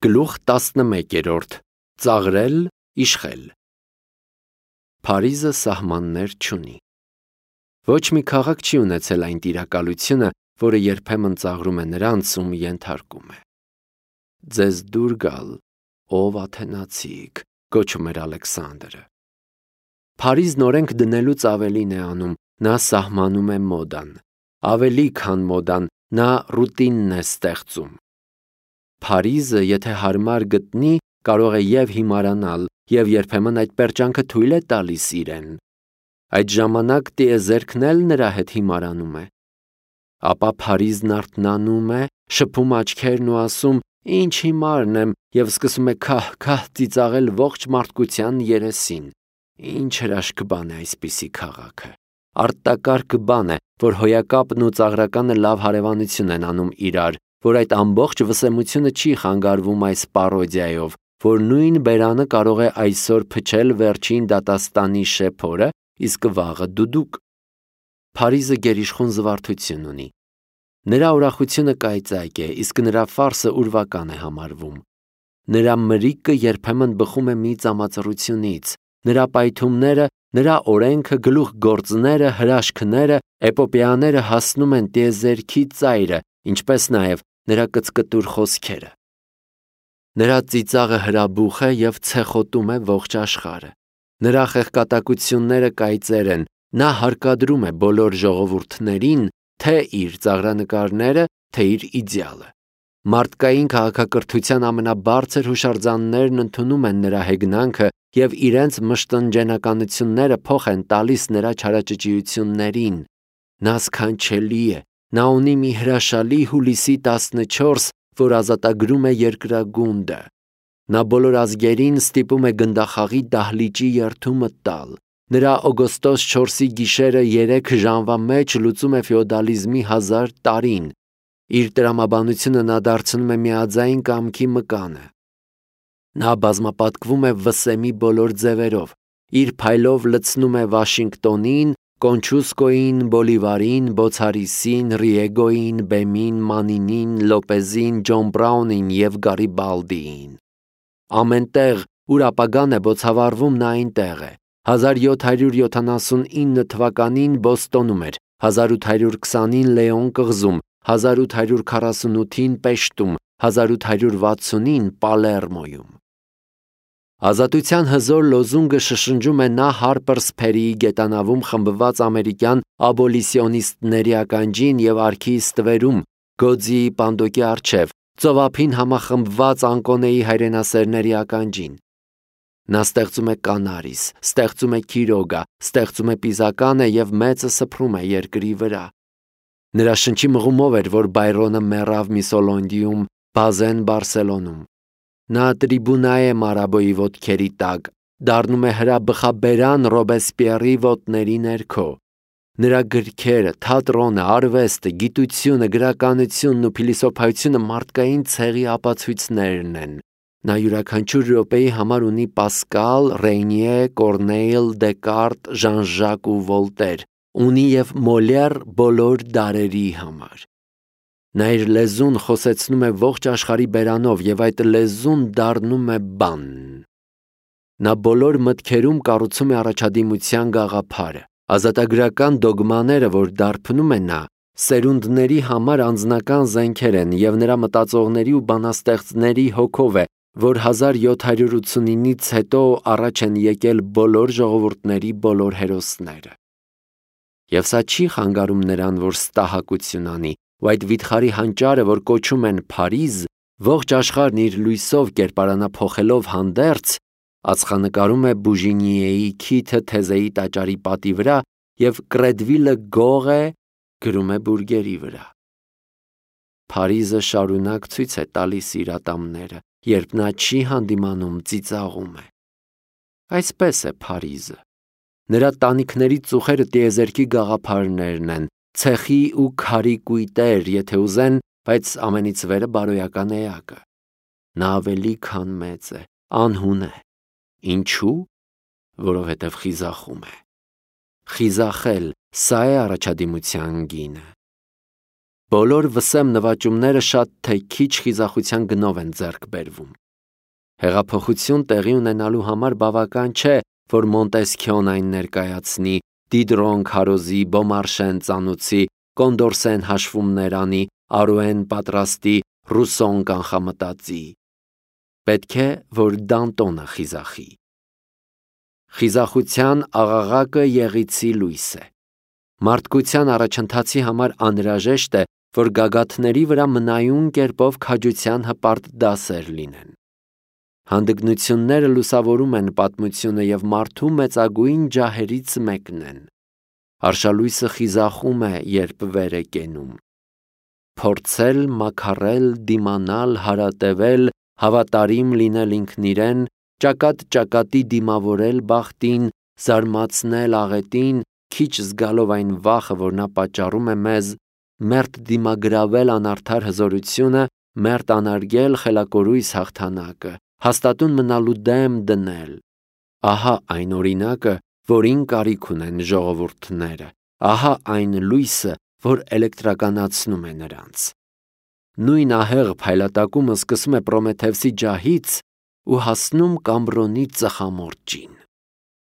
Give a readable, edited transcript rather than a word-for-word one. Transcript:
Գլուխ 11 Ծաղրել, իշխել։ Փարիզը սահմաններ չունի։ Ոչ մի քաղաք չի ունեցել այն տիրակալությունը, որը երբեմն ծաղրում է նրանց, ում ենթարկում է։ Ձեզ դուր գալ, ով աթենացիք, գոչում էր Ալեքսանդրը։ Փարիզն օրենք դնելուց ավելին է անում, նա սահմանում է մոդան, ավելի քան մոդան, նա ռուտինն է ստեղծում։ Փարիզը, եթե հարմար գտնի, կարող է և հիմարանալ, և երբեմն այդ պերճանքը թույլ է տալիս իրեն։ Այդ ժամանակ տիեզերքն էլ նրա հետ հիմարանում է։ Ապա Փարիզն արթնանում է, շփում աչքերն ու ասում. «Ինչ հիմարն եմ», և սկսում է քահ-քահ ծիծաղել ողջ մարդկության երեսին։ Ինչ հրաշք բան է այսպիսի քաղաքը։ Արտակարգ բան է, որ հոյակապն ու ծաղրականը լավ հարևանություն են անում իրար, որ այդ ամբողջ վսեմությունը չի խանգարվում այս պարոդիայով, որ նույն բերանը կարող է այսօր փչել վերջին դատաստանի շեփորը, իսկ վաղը դուդուկ։ Փարիզը գերիշխուն զվարթություն ունի։ Նրա ուրախությունը կայծակ է, իսկ նրա ֆարսը ուրվական է համարվում։ Նրա մրիկը երբեմն բխում է մի ծամածռությունից, նրա պայթումները, նրա օրենքը, գլուխգործները, հրաշքները, էպոպեաները հասնում են տիեզերքի ծայրը, ինչպես նաև նրա կծկտուր խոսքերը։ Նրա ծիծաղը հրաբուխ է և ցեխոտում է ողջ աշխարհը։ Նրա խեղկատակությունները կայծեր են, նա հարկադրում է բոլոր ժողովուրդներին թե իր ծաղրանկարները, թե իր իդեալը։ Մարդկային քաղաքակրթության ամենաբարձր հուշարձաններն ընդունում են նրա հեգնանքը և իրենց մշտնջենականությունները փոխ են տալիս նրա չարաճճիություններին։ Նա սքանչելի է, նա ունի մի հրաշալի հուլիսի 14, որ ազատագրում է երկրագունդը։ Նա բոլոր ազգերին ստիպում է գնդախաղի դահլիճի երդումը տալ։ Նրա օգոստոս 4-ի գիշերը 3 ժամվա մեջ լուծում է ֆեոդալիզմի 1000 տարին։ Իր տրամաբանությունը նա դարձնում է միաձայն կամքի մկանը։ Նա բազմապատկվում է վսեմի բոլոր ձևերով։ Իր փայլով լցնում է Վաշինգտոնին, Կոնչուսկոին, Բոլիվարին, Բոցարիսին, Ռիեգոին, Բեմին, Մանինին, Լոպեզին, Ջոն Բրաունին և Գարիբալդիին։ Ամենտեղ, ուր ապագան է բոցավառվում, նա այնտեղ է։ 1779 թվականին Բոստոնում էր, 1820-ին Լեոն կղզում, 1848-ին Պեշտում, 1860-ին Պալերմոյում։ Ազատության հզոր լոզունգը շշնջում է նա Հարպերս Փերիի գետանավում խմբված ամերիկյան աբոլիցիոնիստների ականջին և արքի ստվերում, Գոձիի պանդոկի առջև, ծովափին համախմբված Անկոնեի հայրենասերների ականջին։ Նա ստեղծում է կանարիս, ստեղծում է քիրոգա, ստեղծում է պիզականը և մեծը սփռում է երկրի վրա։ Նրա շնչի մղումով էր, որ Բայրոնը մեռավ Միսոլոնդիում, Բազեն Բարսելոնում։ Նա տրիբունա է Մարաբոյի ոտքերի տակ, դառնում է հրաբխաբերան Ռոբեսպիերի ոտների ներքո։ Նրա գրքերը, թատրոնը, արվեստը, գիտությունը, գրականությունն ու փիլիսոփայությունը մարդկային ցեղի ապացույցներն են։ Նա յուրաքանչյուր րոպեի համար ունի Պասկալ, Ռեյնիե, Կորնեյլ, Դեկարտ, Ժան-Ժակ ու Վոլտեր, ունի և Մոլիեր բոլոր դարերի համար։ Նա իր լեզուն խոսեցնում է ողջ աշխարհի բերանով և այդ լեզուն դառնում է բան։ Նա բոլոր մտքերում կառուցում է առաջադիմության գաղափարը։ Ազատագրական դոգմաները, որ դարբնում է նա, սերունդների համար անձնական զենքեր են և նրա մտածողների ու բանաստեղծների հոգով է, որ 1789-ից հետո առաջ են եկել բոլոր ժողովուրդների բոլոր հերոսները։ Եվ սա չի խանգարում նրան, որ ստահակություն անի, ու այդ վիթխարի հանճարը, որ կոչում են Փարիզ, ողջ աշխարհն իր լույսով կերպարանա փոխելով հանդերձ, ածխանկարում է Բուժինիեի քիթը Թեզեի տաճարի պատի վրա և Կրեդվիլը գող է գրում է բուրգերի վրա։ Փարիզը շարունակ ցույց է տալիս իր ատամները, երբ նա չի հանդիմանում, ծիծաղում է։ Այսպես է Փարիզը։ Նրա տանիքների ծուխերը տիեզերքի գաղափարներն են, ցեխի ու քարի կույտեր, եթե ուզեն, բայց ամենից վերը բարոյական էակը։ Նա ավելի քան մեծ է, անհուն է։ Ինչու՞։ Որովհետև խիզախում է։ Խիզախել, սա է առաջադիմության գինը։ Բոլոր վսեմ նվաճումները շատ թե քիչ խիզախության գնով են ձեռք բերվում։ Հեղափոխություն տեղի ունենալու համար բավական չէ, որ Մոնտեսքյոն այն ներկայացնի, Դիդրոն Քարոզի, Բոմարշեն ծանուցի, Կոնդորսեն հաշվումներ անի, Արուեն պատրաստի, Ռուսոն կանխամտածի։ Պետք է, որ Դանտոնը խիզախի։ Խիզախության աղաղակը եղիցի լույս է։ Մարդկության առաջընթացի համար անհրաժեշտ է, որ գագաթների վրա մնայուն կերպով քաջության հպարտ դասեր լինեն։ Հանդգնությունները լուսավորում են պատմությունը և մարդու մեծագույն ջահերից մեկն են։ Արշալույսը խիզախում է, երբ վեր է կենում։ Փորձել, մաքարել, դիմանալ, հարատևել, հավատարիմ լինել ինքն իրեն, ճակատ-ճակատի դիմավորել բախտին, զարմացնել աղետին, քիչ զգալով այն վախը, որ նա պատճառում է մեզ, մերթ դիմագրավել անարդար հզորությունը, մերթ անարգել խելակորույս հաղթանակը, հաստատուն մնալու դեմ դնել։ Ահա այն օրինակը, որին կարիք ունեն ժողովուրդները, ահա այն լույսը, որ էլեկտրականացնում է նրանց։ Նույն ահեղ փայլատակումը սկսում է Պրոմեթևսի ջահից ու հասնում Կամբրոնի ծխամորճին։